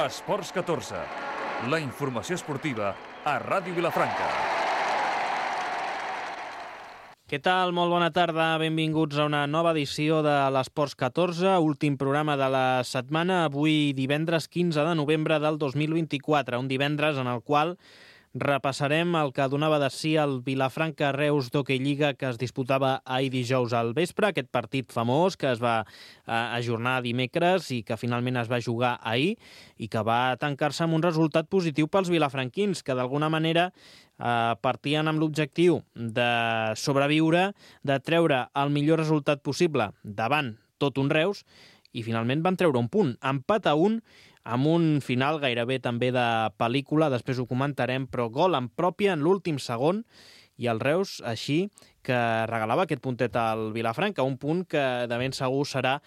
Esports 14, la informació esportiva a Ràdio Vilafranca. Què tal? Molt bona tarda. Benvinguts a una nova edició de l'Esports 14, últim programa de la setmana, avui divendres 15 de novembre del 2024, un divendres en el qual repassarem el que donava de si el Vilafranca-Reus d'Hockey Lliga que es disputava ahir dijous al vespre, aquest partit famós que es va ajornar dimecres i que finalment es va jugar ahir i que va tancar-se amb un resultat positiu pels vilafranquins, que d'alguna manera partien amb l'objectiu de sobreviure, de treure el millor resultat possible davant tot un Reus, i finalment van treure un punt, empat a 1, amb un final gairebé també de pel·lícula, després ho comentarem, però gol en pròpia en l'últim segon, i el Reus així que regalava aquest puntet al Vilafranca, un punt que de ben segur serà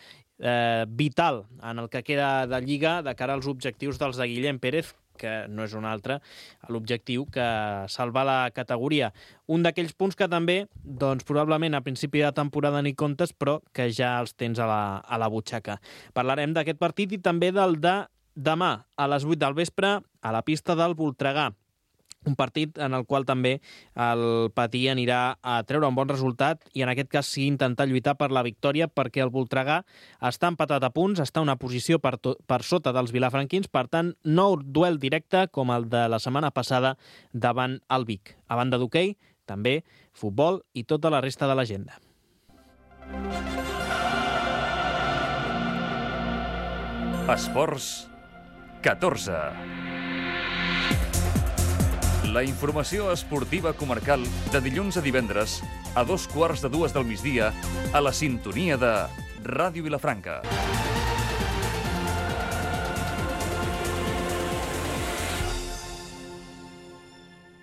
vital en el que queda de Lliga de cara als objectius dels de Guillem Pérez, que no és un altre, l'objectiu que salvar la categoria. Un d'aquells punts que també, doncs, probablement a principi de temporada ni comptes, però que ja els tens a la butxaca. Parlarem d'aquest partit i també del de demà, a les 8 del vespre, a la pista del Voltregà. Un partit en el qual també el Patí anirà a treure un bon resultat i en aquest cas sí intentar lluitar per la victòria, perquè el Voltregà està empatat a punts, està a una posició per sota dels vilafranquins, per tant, nou duel directe com el de la setmana passada davant el Vic. A banda d'hoquei, també futbol i tota la resta de l'agenda. Esports 14. La informació esportiva comarcal de dilluns a divendres a 2:15 del migdia a la sintonia de Ràdio Vilafranca.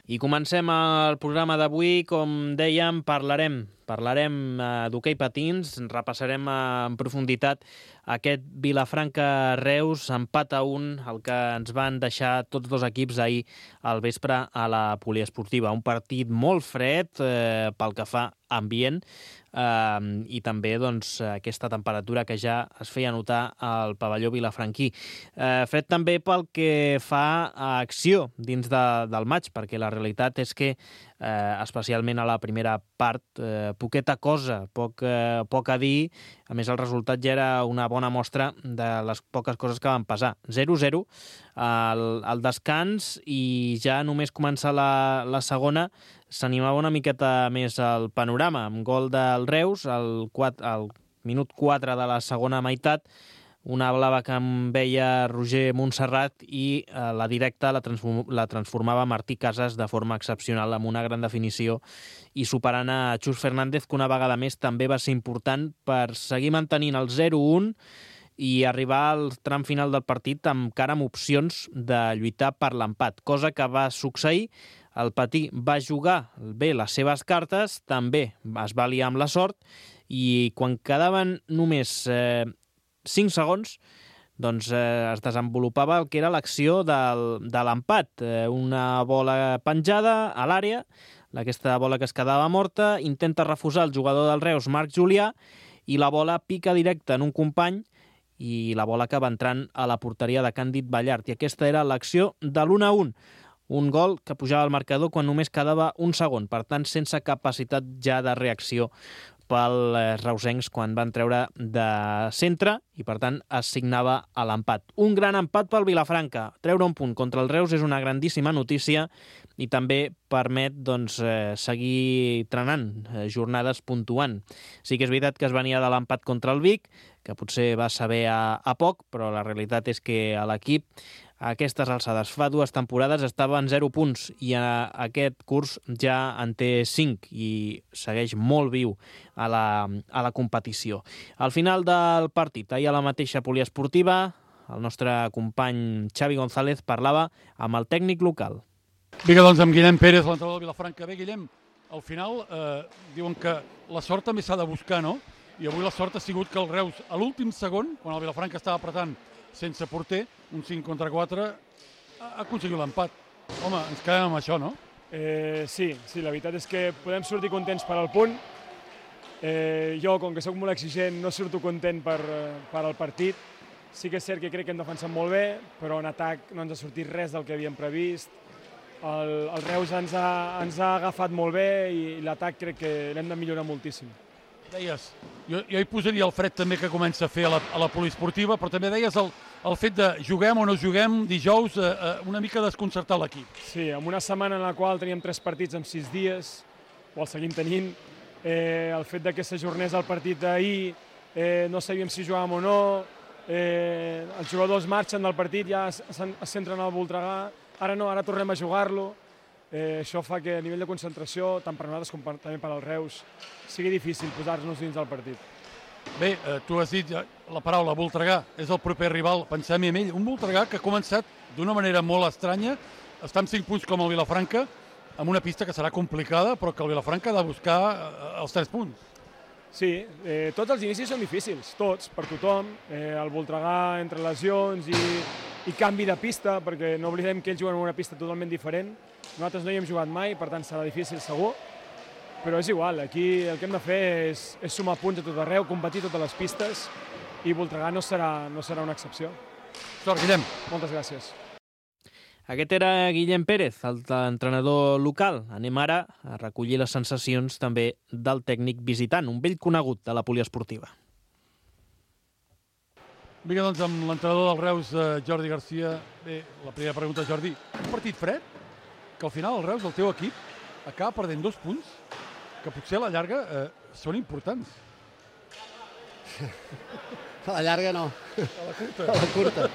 I comencem el programa d'avui. Com dèiem, parlarem d'hoquei patins, repassarem en profunditat aquest Vilafranca-Reus, empat a 1, el que ens van deixar tots dos equips ahir al vespre a la poliesportiva. Un partit molt fred pel que fa ambient i també doncs, aquesta temperatura que ja es feia notar al pavelló vilafranquí. Fred també pel que fa a acció dins del maig, perquè la realitat és que especialment a la primera part, poqueta cosa, poc a dir. A més, el resultat ja era una bona mostra de les poques coses que van passar. 0-0 al descans i ja només començar la segona s'animava una miqueta més el panorama, amb gol del Reus al minut 4 de la segona meitat, una blava que em veia Roger Montserrat i la directa la transformava Martí Casas de forma excepcional, amb una gran definició i superant a Xus Fernández, que una vegada més també va ser important per seguir mantenint el 0-1 i arribar al tram final del partit encara amb opcions de lluitar per l'empat, cosa que va succeir. El Patí va jugar bé les seves cartes, també es va liar amb la sort, i quan quedaven només 5 segons, doncs es desenvolupava el que era l'acció de l'empat. Una bola penjada a l'àrea, aquesta bola que es quedava morta, intenta refusar el jugador del Reus, Marc Julià, i la bola pica directa en un company i la bola acaba entrant a la porteria de Càndid Ballart. I aquesta era l'acció de l'1-1. Un gol que pujava al marcador quan només quedava un segon, per tant sense capacitat ja de reacció pels reusencs quan van treure de centre i per tant es signava a l'empat. Un gran empat pel Vilafranca. Treure un punt contra el Reus és una grandíssima notícia i també permet seguir trenant jornades puntuant. Sí que és veritat que es venia de l'empat contra el Vic, que potser va saber a poc, però la realitat és que a l'equip a aquestes alçades fa 2 temporades estava en 0 punts i aquest curs ja en té 5 i segueix molt viu a la competició. Al final del partit, ahir a la mateixa poliesportiva, el nostre company Xavi González parlava amb el tècnic local. Vinga, doncs, amb Guillem Pérez, l'entrenador de Vilafranca. Bé, Guillem, al final diuen que la sort també s'ha de buscar, no? I avui la sort ha sigut que el Reus, a l'últim segon, quan el Vilafranca estava apretant sense porter, un 5-4, ha aconseguit l'empat. Home, ens quedem amb això, no? Sí, la veritat és que podem sortir contents per al punt. Jo, com que sóc molt exigent, no surto content per al partit, Sí que és cert que crec que hem defensat molt bé, però en atac no ens ha sortit res del que havíem previst. El Reus ens ha agafat molt bé i l'atac crec que l'hem de millorar moltíssim. Deies, jo hi posaria el Fred també que comença a fer a la poliesportiva, però també deies el fet de juguem o no juguem dijous, una mica desconcertar l'equip. Sí, en una setmana en la qual teníem 3 partits en 6 dies, o el seguim tenint, el fet que s'ajornés el partit d'ahir, no sabíem si jugàvem o no, els jugadors marxen del partit, ja es centren al Voltregà, ara no, ara tornem a jugar-lo. Això fa que a nivell de concentració, tant per nosaltres com també per al Reus, sigui difícil posar-nos dins del partit. Bé, tu has dit la paraula Voltregà, és el proper rival, pensem en ell, un Voltregà que ha començat d'una manera molt estranya, està amb 5 punts com el Vilafranca, amb una pista que serà complicada, però que el Vilafranca ha de buscar els 3 punts. Sí, tots els inicis són difícils, tots, per tothom. El Voltregà entre lesions i canvi de pista, perquè no oblidem que ells juguen en una pista totalment diferent. Nosaltres no hi hem jugat mai, per tant serà difícil segur, però és igual, aquí el que hem de fer és sumar punts a tot arreu, competir totes les pistes, i Voltregà no serà una excepció. Sort, Guillem. Moltes gràcies. Aquest era Guillem Pérez, l'entrenador local. Anem ara a recollir les sensacions també del tècnic visitant, un vell conegut de la poliesportiva. Vinga, doncs, amb l'entrenador del Reus, Jordi Garcia. Bé, la primera pregunta, Jordi. Un partit fred, que al final el Reus, el teu equip, acaba perdent 2 punts, que potser a la llarga són importants. A la llarga no. A la curta. A la curta.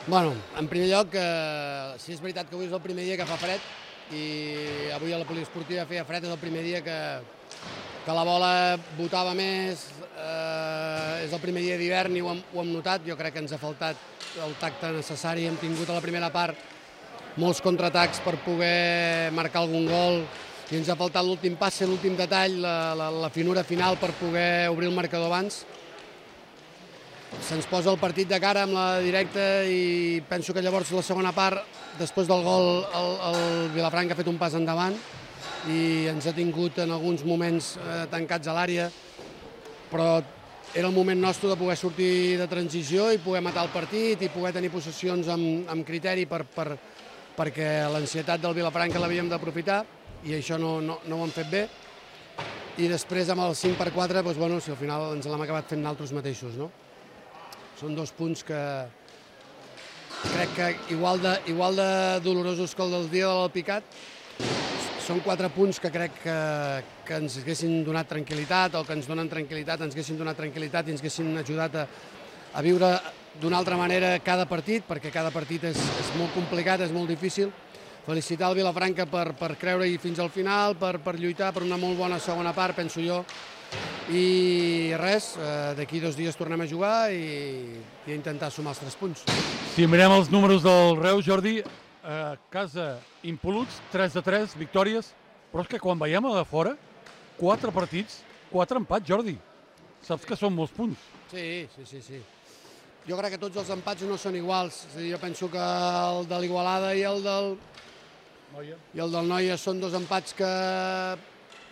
Bueno, en primer lloc, sí és veritat que avui és el primer dia que fa fred i avui a la poliesportiva feia fred, és el primer dia que la bola botava més, és el primer dia d'hivern i ho hem notat. Jo crec que ens ha faltat el tacte necessari, hem tingut a la primera part molts contraatacs per poder marcar algun gol i ens ha faltat l'últim passe, l'últim detall, la finura final per poder obrir el marcador abans. Se'ns posa el partit de cara amb la directa i penso que llavors la segona part, després del gol, el Vilafranca ha fet un pas endavant i ens ha tingut en alguns moments tancats a l'àrea, però era el moment nostre de poder sortir de transició i poder matar el partit i poder tenir possessions amb criteri perquè l'ansietat del Vilafranca l'havíem d'aprofitar i això no ho hem fet bé. I després amb el 5/4, doncs, bueno, si al final ens l'hem acabat fent nosaltres mateixos, no? Són 2 punts que crec que igual de dolorosos que el del dia de l'Alpicat. Són 4 punts que crec que ens haguessin donat tranquil·litat, o que ens donen tranquil·litat, ens haguessin donat tranquil·litat i ens haguessin ajudat a viure d'una altra manera cada partit, perquè cada partit és molt complicat, és molt difícil. Felicitar el Vilafranca per creure-hi fins al final, per lluitar per una molt bona segona part, penso jo. I res, d'aquí 2 dies tornem a jugar i a intentar sumar els 3 punts. Si mirem els números del Reus, Jordi, a casa impol·luts, 3-3, victòries, però és que quan veiem a de fora, 4 partits, 4 empats, Jordi. Saps que són molts punts. Sí. Jo crec que tots els empats no són iguals. És a dir, jo penso que el de l'Igualada i el del Noia són 2 empats que,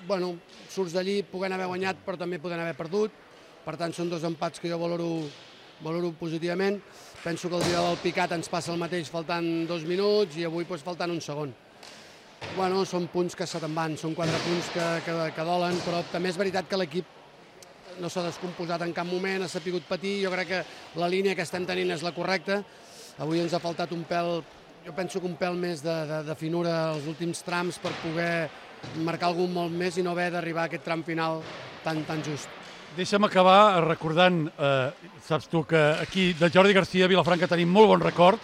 bueno, surts d'allí, poden haver guanyat, però també poden haver perdut. Per tant, són 2 empats que jo valoro positivament. Penso que el dia del Picat ens passa el mateix faltant 2 minuts i avui faltant un segon. Bueno, són punts que se te'n van, són 4 punts que dolen, però també és veritat que l'equip no s'ha descomposat en cap moment, ha sapigut patir. Jo crec que la línia que estem tenint és la correcta. Avui ens ha faltat un pèl, jo penso que un pèl més de finura als últims trams per poder marcar algun molt més i no haver d'arribar a aquest tram final tan just. Deixa'm acabar recordant, saps tu que aquí de Jordi Garcia a Vilafranca tenim molt bon record,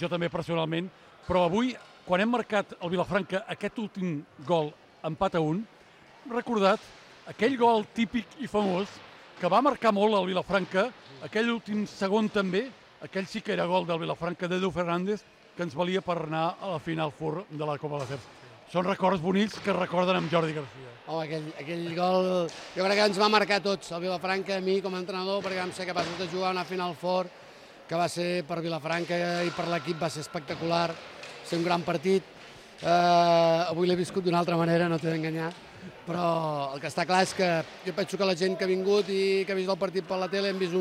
jo també personalment, però avui, quan hem marcat el Vilafranca aquest últim gol, empat a 1, hem recordat aquell gol típic i famós que va marcar molt el Vilafranca, aquell últim segon també, aquell sí que era gol del Vilafranca d'Edu Fernández, que ens valia per anar a la final fur de la Copa de l'Acers. Són records bonics que recorden amb Jordi Garcia. Home, aquell gol jo crec que ens va marcar tots, el Vilafranca, a mi com a entrenador, perquè vam ser capaços de jugar una final fort, que va ser per Vilafranca i per l'equip va ser espectacular, ser un gran partit. Avui l'he viscut d'una altra manera, no t'he d'enganyar, però el que està clar és que jo penso que la gent que ha vingut i que ha vist el partit per la tele hem vist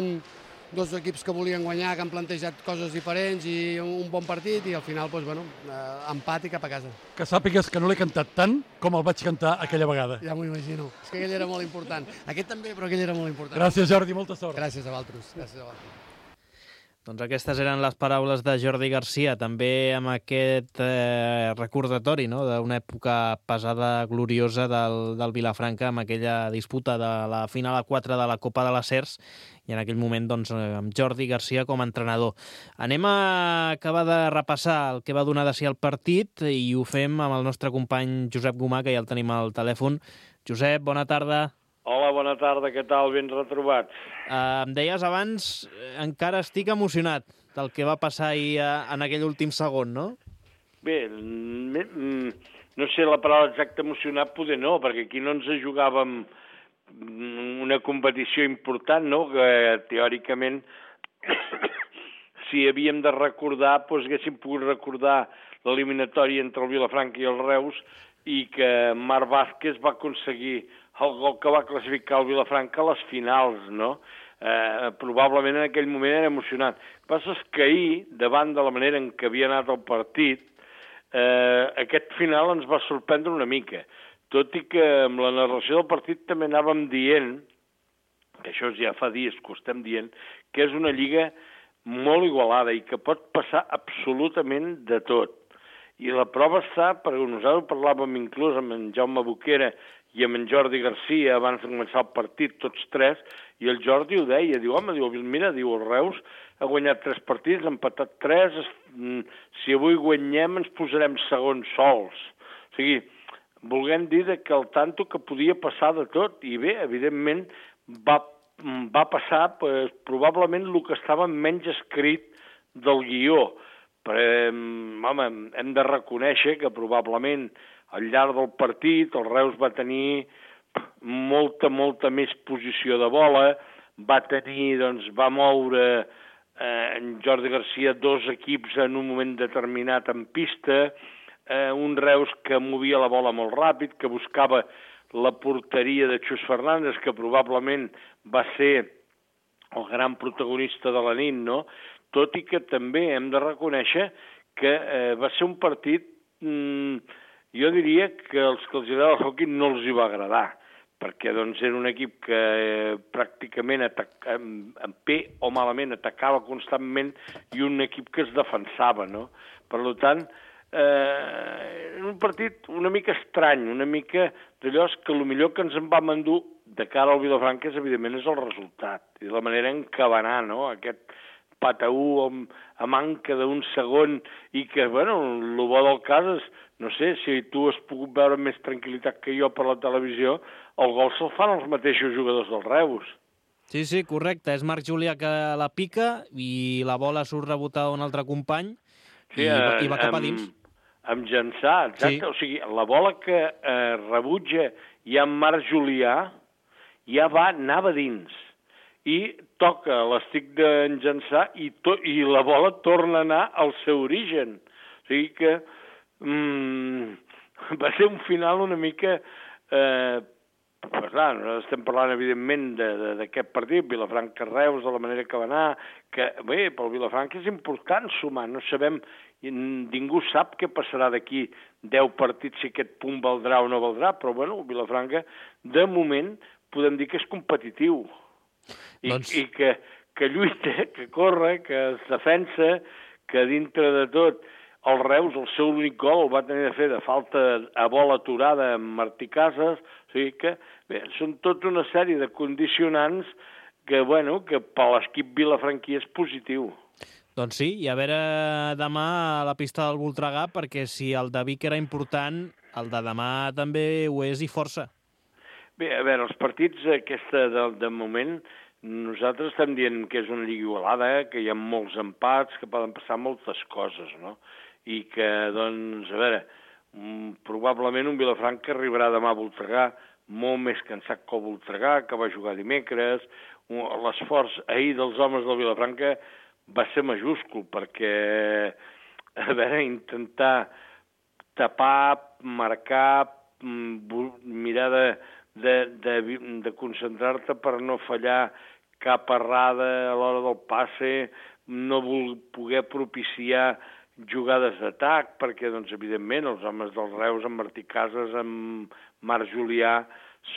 dos equips que volien guanyar, que han plantejat coses diferents i un bon partit i al final, empat i cap a casa. Que sàpigues que no l'he cantat tant com el vaig cantar aquella vegada. Ja m'ho imagino. És que aquell era molt important. Aquest també, però aquell era molt important. Gràcies, Jordi, molta sort. Gràcies a vosaltres. Gràcies a vosaltres. Doncs aquestes eren les paraules de Jordi Garcia, també amb aquest recordatori, no?, d'una època pesada, gloriosa del Vilafranca, amb aquella disputa de la final a 4 de la Copa de les Cers, i en aquell moment doncs, amb Jordi Garcia com a entrenador. Anem a acabar de repassar el que va donar de si el partit i ho fem amb el nostre company Josep Gomà, que ja el tenim al telèfon. Josep, bona tarda. Hola, bona tarda, què tal? Ben retrobats. Em deies abans, encara estic emocionat del que va passar ahir en aquell últim segon, no? Bé, no sé la paraula exacta emocionat, poder no, perquè aquí no ens jugàvem una competició important, no?, que teòricament si havíem de recordar, doncs haguéssim pogut recordar l'eliminatòria entre el Vilafranca i el Reus i que Marc Vázquez va aconseguir el gol que va classificar el Vilafranca a les finals, no? Probablement en aquell moment era emocionant. El que passa és que ahir, davant de la manera en què havia anat el partit, aquest final ens va sorprendre una mica, tot i que amb la narració del partit també anàvem dient, que això ja fa dies que ho estem dient, que és una lliga molt igualada i que pot passar absolutament de tot. I la prova està, perquè nosaltres parlàvem inclús amb en Jaume Boquera i amb en Jordi Garcia abans de començar el partit, tots tres, i el Jordi ho deia, diu, home, mira, el Reus ha guanyat 3 partits, ha empatat 3, si avui guanyem ens posarem segons sols. O sigui, volguem dir que el tanto que podia passar de tot, i bé, evidentment, va passar probablement el que estava menys escrit del guió. Però, home, hem de reconèixer que probablement al llarg del partit el Reus va tenir molta més posició de bola, va moure en Jordi Garcia 2 equips en un moment determinat en pista, un Reus que movia la bola molt ràpid, que buscava la porteria de Xus Fernández, que probablement va ser el gran protagonista de la nit, no?, tot i que també hem de reconèixer que va ser un partit, jo diria que els que els agrada el hoquei no els hi va agradar, perquè doncs, era un equip que pràcticament bé o malament atacava constantment i un equip que es defensava, no? Per tant, un partit una mica estrany, una mica d'allò que el millor que ens en vam endur de cara al Vilafranca evidentment és el resultat i la manera en què va anar, no?, aquest pataú a manca d'un segon i que, bueno, el bo del cas és, no sé, si tu has pogut veure amb més tranquil·litat que jo per la televisió, el gol se'l fan els mateixos jugadors del Reus. Sí, correcte, és Marc Julià que la pica i la bola surt rebotada d'un altre company i va cap a dins. Amb Jansà, exacte, sí. O sigui, la bola que rebutja ja en Marc Julià ja anava dins i toca l'estic d'en Jansà i la bola torna a anar al seu origen. O sigui que va ser un final una mica... nosaltres estem parlant, evidentment, d'aquest partit, Vilafranca-Reus, de la manera que va anar, que, bé, pel Vilafranca és important sumar, no sabem, ningú sap què passarà d'aquí 10 partits, si aquest punt valdrà o no valdrà, però, bueno, el Vilafranca, de moment, podem dir que és competitiu. I que lluita, que corre, que es defensa, que dintre de tot el Reus, el seu únic gol el va tenir de fer de falta a bola aturada amb Martí Casas, o sigui que bé, són tota una sèrie de condicionants que, bueno, que per l'equip vilafranquí és positiu. Doncs sí, i a veure demà a la pista del Voltregà, perquè si el de Vic era important, el de demà també ho és i força. Bé, a veure, els partits aquesta de moment, nosaltres estem dient que és una lliga igualada, que hi ha molts empats, que poden passar moltes coses, no? I que, doncs, a veure, probablement un Vilafranca arribarà demà a Voltregà molt més cansat que el Voltregà, que va jugar dimecres. L'esforç ahir dels homes del Vilafranca va ser majúscul, perquè, a veure, intentar tapar, marcar, mirar de concentrar-te per no fallar cap errada a l'hora del passe, no poder propiciar jugades d'atac, perquè, doncs, evidentment, els homes dels Reus, en Martí Casas, en Marc Julià,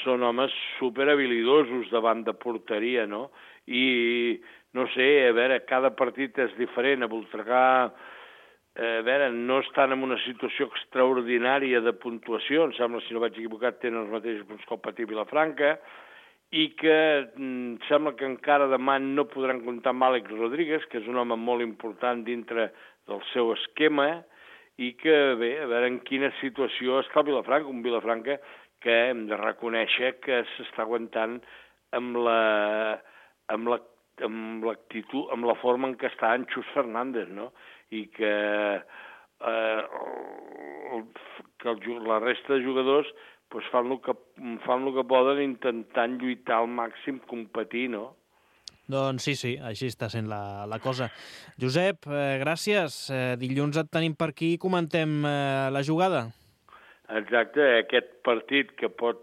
són homes superhabilidosos davant de porteria, no? I, no sé, a veure, cada partit és diferent. A Voltregà, a veure, no estan en una situació extraordinària de puntuació, em sembla, si no vaig equivocat, tenen els mateixos punts que el Patí Vilafranca, i que sembla que encara demà no podran comptar amb Àlex Rodríguez, que és un home molt important dintre del seu esquema, i que, bé, a veure en quina situació està el Vilafranca, un Vilafranca que hem de reconèixer que s'està aguantant amb l'actitud, amb la forma en què està en Xus Fernández, no? I que la resta de jugadors pues, fan el que poden intentant lluitar al màxim, competir, no? Doncs sí, així està sent la cosa. Josep, gràcies. Dilluns et tenim per aquí i comentem la jugada. Exacte, aquest partit que pot...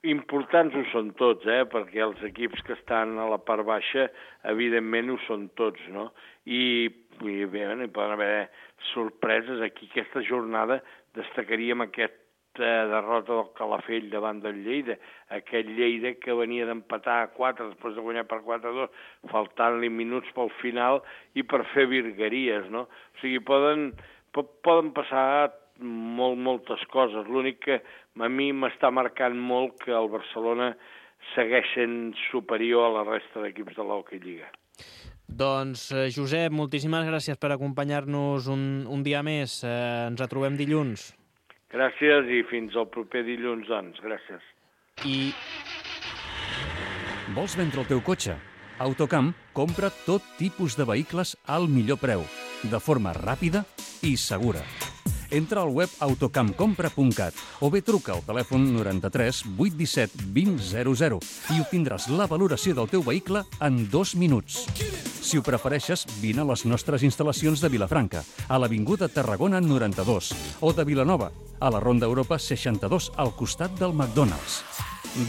Importants ho són tots, perquè els equips que estan a la part baixa, evidentment ho són tots, no? I bé, hi poden haver sorpreses. Aquí aquesta jornada destacaríem aquesta derrota del Calafell davant del Lleida, aquest Lleida que venia d'empatar a 4 després de guanyar per 4-2, faltant-li minuts pel final i per fer virgueries, no? O sigui, poden passar moltes coses. L'únic que a mi m'està marcant molt que el Barcelona segueix sent superior a la resta d'equips de l'Hockey Lliga. Doncs, Josep, moltíssimes gràcies per acompanyar-nos un dia més. Ens retrobem dilluns. Gràcies i fins al proper dilluns, doncs. Gràcies. Vols vendre el teu cotxe? Autocamp compra tot tipus de vehicles al millor preu, de forma ràpida i segura. Entra al web autocampcompra.cat o bé truca al telèfon 93 817 2000 i obtindràs la valoració del teu vehicle en 2 minuts. Si ho prefereixes, vine a les nostres instal·lacions de Vilafranca, a l'Avinguda Tarragona 92, o de Vilanova, a la Ronda Europa 62, al costat del McDonald's.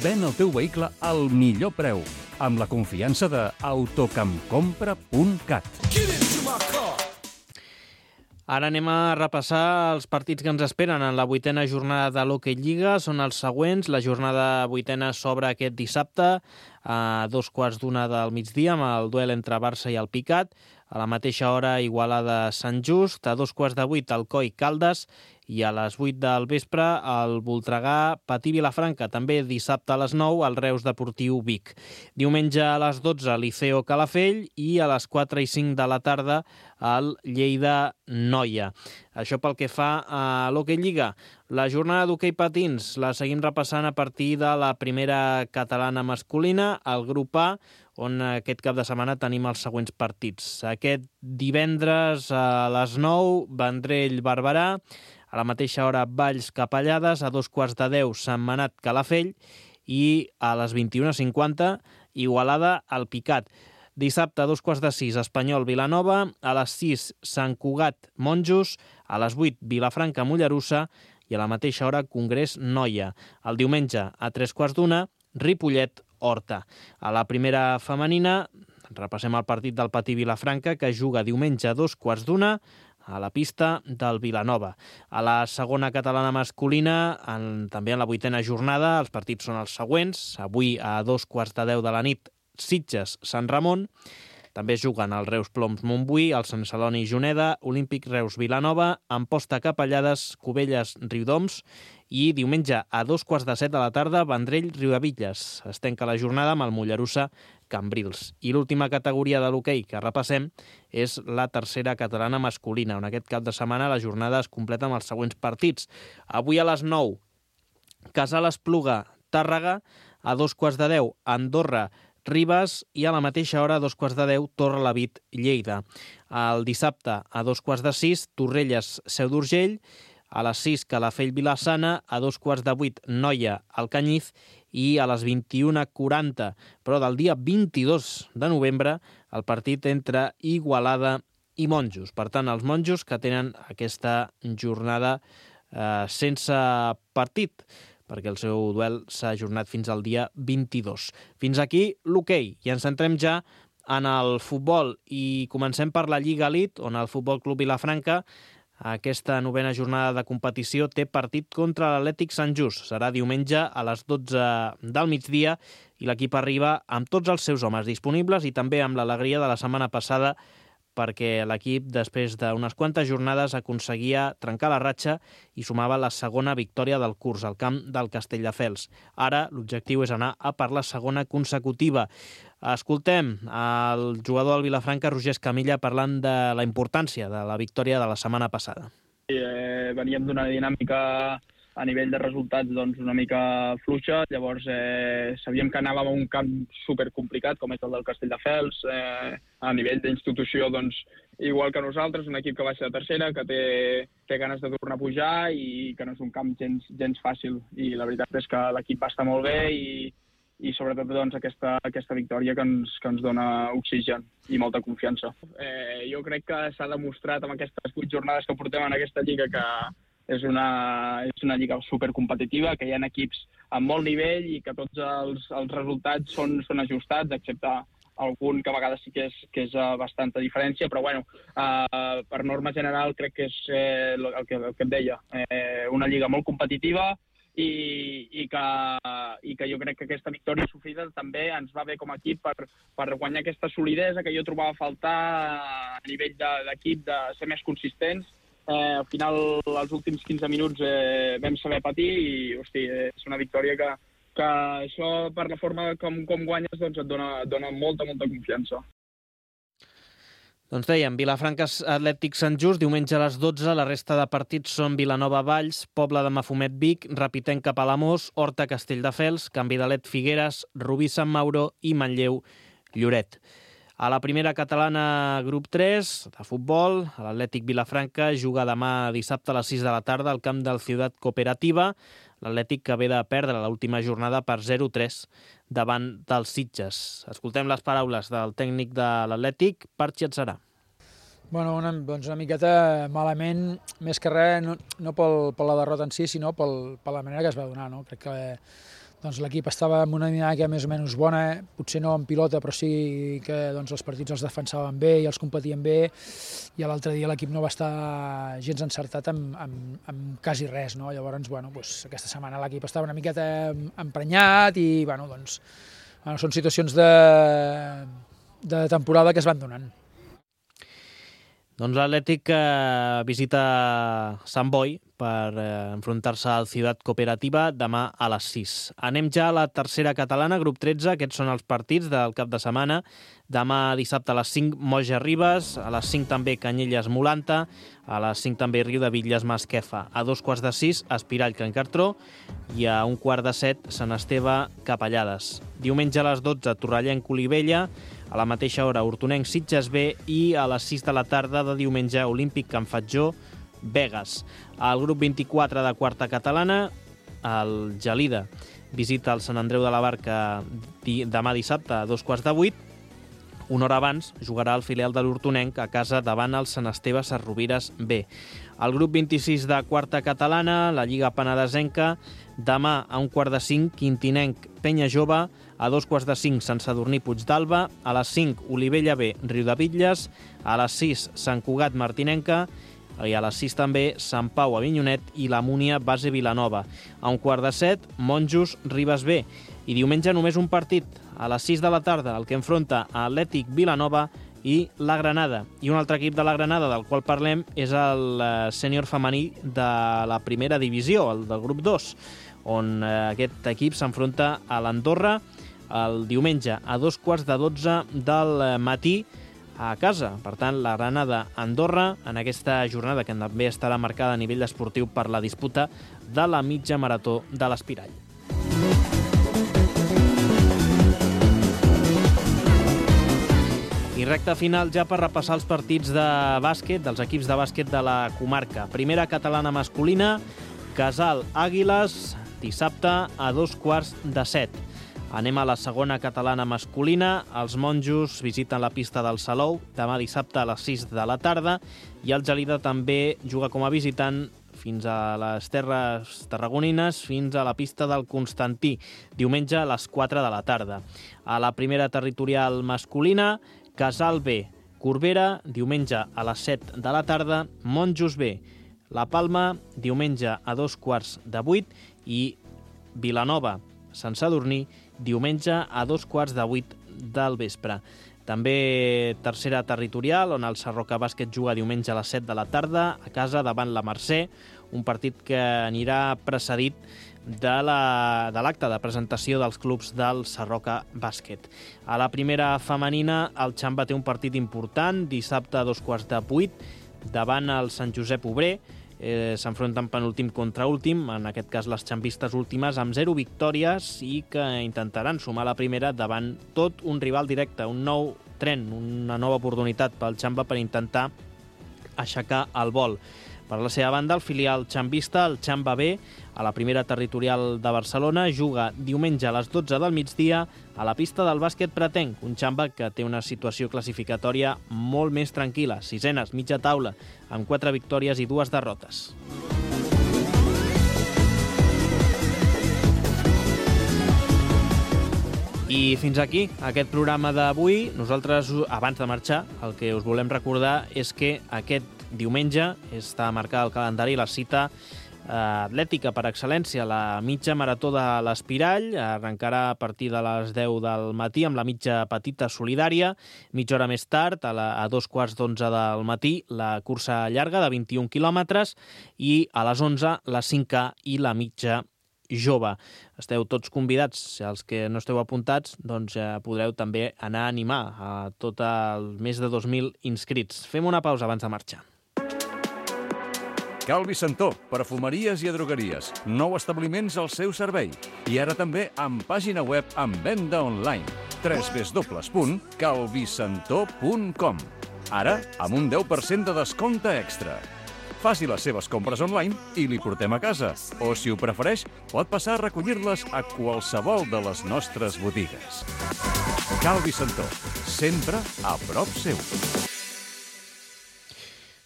Ven el teu vehicle al millor preu, amb la confiança de autocampcompra.cat. Ara anem a repassar els partits que ens esperen en la 8a jornada de l'Hockey Lliga. Són els següents. La jornada 8a s'obre aquest dissabte a 2:15 del migdia amb el duel entre Barça i el Picat. A la mateixa hora, Igualada Sant Just, a 7:15 Alcoi Caldes i a les 8 del vespre el Voltregà Patí Vilafranca. També dissabte a les 9 el Reus Deportiu Vic. Diumenge a les 12 Liceo Calafell i a les 4:05 de la tarda el Lleida Noia. Això pel que fa a l'Hockey Lliga. La jornada d'hoquei patins la seguim repassant a partir de la primera catalana masculina, el grup A, on aquest cap de setmana tenim els següents partits. Aquest divendres a les 9, Vendrell-Barberà, a la mateixa hora Valls Capellades, a 9:15 Sentmenat Calafell i a les 21:50 Igualada al Picat. Dissabte a 2:15 Espanyol Vilanova, a les 6 Sant Cugat Monjos, a les 8 Vilafranca Mollerussa i a la mateixa hora Congrés Noia. El diumenge a 3:15 Ripollet Horta. A la primera femenina repassem el partit del Patí Vilafranca que juga diumenge a 2:15 a la pista del Vilanova. A la segona catalana masculina, també en la 8a jornada, els partits són els següents. Avui a 2:10 de la nit, Sitges-Sant Ramon. També juguen el Reus Ploms Montbui, el Sant Celoni Juneda, Olímpic Reus Vilanova, Amposta Capellades, Cubelles Riudoms i diumenge a 2:15 de la tarda, Vendrell Riudebitlles. Es tanca la jornada amb el Mollerussa Cambrils. I l'última categoria de l'hoquei que repassem és la tercera catalana masculina, on aquest cap de setmana la jornada es completa amb els següents partits. Avui a les 9, Casal Espluga Tàrrega, a 2:10 Andorra Ribes i a la mateixa hora, a 2:10, Torrelavit Lleida. El dissabte, a 2:06, Torrelles Seu d'Urgell, a les 6, Calafell Vilassana, a 2:08, Noia Alcanyiz i a les 21:40, però del dia 22 de novembre, el partit entre Igualada i Monjos. Per tant, els monjos que tenen aquesta jornada sense partit. perquè el seu duel s'ha ajornat fins al dia 22. Fins aquí l'hoquei, i ens centrem ja en el futbol, i comencem per la Lliga Elite, on el Futbol Club Vilafranca, aquesta 9a jornada de competició, té partit contra l'Atlètic Sant Just. Serà diumenge a les 12 del migdia i l'equip arriba amb tots els seus homes disponibles i també amb l'alegria de la setmana passada, perquè l'equip, després d'unes quantes jornades, aconseguia trencar la ratxa i sumava la segona victòria del curs al camp del Castelldefels. Ara l'objectiu és anar a per la segona consecutiva. Escoltem el jugador del Vilafranca, Roger Escamilla, parlant de la importància de la victòria de la setmana passada. Veníem d'una dinàmica a nivell de resultats una mica fluixa, llavors sabíem que anàvem a un camp supercomplicat com és el del Castelldefels, a nivell d'institució igual que nosaltres, un equip que va ser de tercera, que té ganes de tornar a pujar i que no és un camp gens fàcil, i la veritat és que l'equip va estar molt bé i sobretot aquesta victòria que ens dona oxigen i molta confiança. Jo crec que s'ha demostrat amb aquestes 8 jornades que portem en aquesta lliga que és una lliga supercompetitiva, que hi ha equips amb molt nivell i que tots els resultats són ajustats, excepte algun que a vegades sí que és bastanta diferència, però per norma general crec que és el que et deia, una lliga molt competitiva i que jo crec que aquesta victòria sofrida també ens va bé com a equip per guanyar aquesta solidesa que jo trobava a faltar a nivell d'equip, de ser més consistents. Al final, els últims 15 minuts vam saber patir i, és una victòria que això, per la forma com guanyes, et dona molta confiança. Doncs dèiem, Vilafranca Atlètic Sant Just, diumenge a les 12, la resta de partits són Vilanova Valls, Pobla de Mafumet Vic, Ripollet Palamós, Horta Castelldefels, Can Vidalet Figueres, Rubí Sant Mauro i Manlleu Lloret. A la primera catalana, grup 3, de futbol, l'Atlètic Vilafranca juga demà dissabte a les 6 de la tarda al camp del Ciutat Cooperativa, l'Atlètic que ve de perdre l'última jornada per 0-3 davant dels Sitges. Escoltem les paraules del tècnic de l'Atlètic, Parchi Atzarà. Bueno, una miqueta malament, més que res, no per la derrota en si, sinó per la manera que es va donar, no? Crec que l'equip estava en una dinàmica més o menys bona, potser no en pilota, però sí que els partits els defensaven bé i els competien bé, i l'altre dia l'equip no va estar gens encertat amb quasi res, no? Llavors, aquesta setmana l'equip estava una miqueta emprenyat i, són situacions de temporada que es van donant. Doncs l'Atlètic visita Sant Boi per enfrontar-se al Ciutat Cooperativa demà a les 6. Anem ja a la tercera catalana, grup 13. Aquests són els partits del cap de setmana. Demà dissabte a les 5, Moja Ribes, a les 5 també Canyelles Molanta, a les 5 també Riu de Bitlles Masquefa, a 2:15, Espirall Can Cartró i a 1:15, Sant Esteve Capellades. Diumenge a les 12, Torrellenc Olivella, a la mateixa hora Hortonenc Sitges B i a les 6 de la tarda de diumenge Olímpic Can Fatjó Begues. Al grup 24 de quarta catalana, el Gelida visita el Sant Andreu de la Barca demà dissabte a 7:15. Una hora abans jugarà el filial de l'Hortonenc a casa davant el Sant Esteve Sesrovires B. Al grup 26 de quarta catalana, la Lliga Penedesenca, demà a 4:45, Quintinenc Penya Jove, a 2:45, Sant Sadurní Puigdàlber, a les 5, Olivella B, Riu de Bitlles, a les 6, Sant Cugat Martinenca, i a les 6 també Sant Pau Avinyonet i la Múnia Base Vilanova. A 6:45, Monjos Ribes B. I diumenge només un partit, a les 6 de la tarda, el que enfronta a Atlètic Vilanova i la Granada. I un altre equip de la Granada del qual parlem és el sènior femení de la primera divisió, el del grup 2, on aquest equip s'enfronta a l'Andorra el diumenge a 2:15 del matí a casa. Per tant, la Granada-Andorra en aquesta jornada que també estarà marcada a nivell esportiu per la disputa de la mitja marató de l'Espirall. I recta final ja per repassar els partits de bàsquet, dels equips de bàsquet de la comarca. Primera catalana masculina, Casal Àguiles, dissabte a 6:15. Anem a la segona catalana masculina. Els monjos visiten la pista del Salou demà dissabte a les 6 de la tarda i el Gelida també juga com a visitant fins a les terres tarragonines, fins a la pista del Constantí, diumenge a les 4 de la tarda. A la primera territorial masculina, Casal B, Corbera, diumenge a les 7 de la tarda, Monjos B, La Palma, diumenge a 7:45 i Vilanova, Sant Sadurní, diumenge a 7:45 del vespre. També tercera territorial, on el Sarroca Bàsquet juga diumenge a les 7 de la tarda, a casa davant la Mercè, un partit que anirà precedit de l'acte de presentació dels clubs del Sarroca Bàsquet. A la primera femenina, el Xamba té un partit important, dissabte a 7:15 davant el Sant Josep Obrer. S'enfronten penúltim contra últim, en aquest cas les xambistes últimes, amb 0 victòries i que intentaran sumar la primera davant tot un rival directe, un nou tren, una nova oportunitat pel Xamba per intentar aixecar el vol. Per la seva banda, el filial xambista, el Xamba B, a la primera territorial de Barcelona, juga diumenge a les 12 del migdia a la pista del bàsquet pretenc, un Xamba que té una situació classificatòria molt més tranquil·la, sisenes, mitja taula, amb 4 victòries i 2 derrotes. I fins aquí aquest programa d'avui. Nosaltres, abans de marxar, el que us volem recordar és que aquest diumenge està marcada al calendari la cita atlètica per excel·lència, la mitja marató de l'Espirall. Arrencarà a partir de les 10 del matí amb la mitja petita solidària. Mitja hora més tard, a 2:15 del matí, la cursa llarga de 21 quilòmetres i a les 11 la 5K i la mitja jove. Esteu tots convidats. Els que no esteu apuntats, doncs podreu també anar a animar a tot el més de 2.000 inscrits. Fem una pausa abans de marxar. Calvi Santó, perfumeries i drogueries. 9 establiments al seu servei. I ara també amb pàgina web amb venda online. www.calvisantó.com. Ara amb un 10% de descompte extra. Faci les seves compres online i li portem a casa. O, si ho prefereix, pot passar a recollir-les a qualsevol de les nostres botigues. Calvi Santó, sempre a prop seu.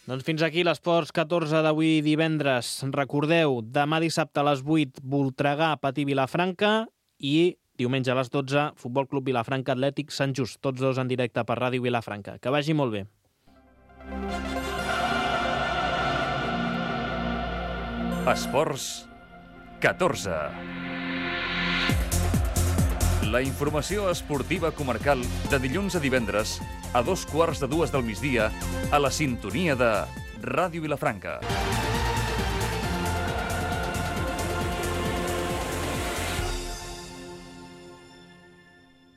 Doncs fins aquí l'Esports 14 d'avui divendres. Recordeu, demà dissabte a les 8, Voltregà, Patí Vilafranca i diumenge a les 12, Futbol Club Vilafranca Atlètic Sant Just. Tots dos en directe per Ràdio Vilafranca. Que vagi molt bé. Esports 14. La informació esportiva comarcal de dilluns a divendres a 2:15 del migdia a la sintonia de Ràdio Vilafranca.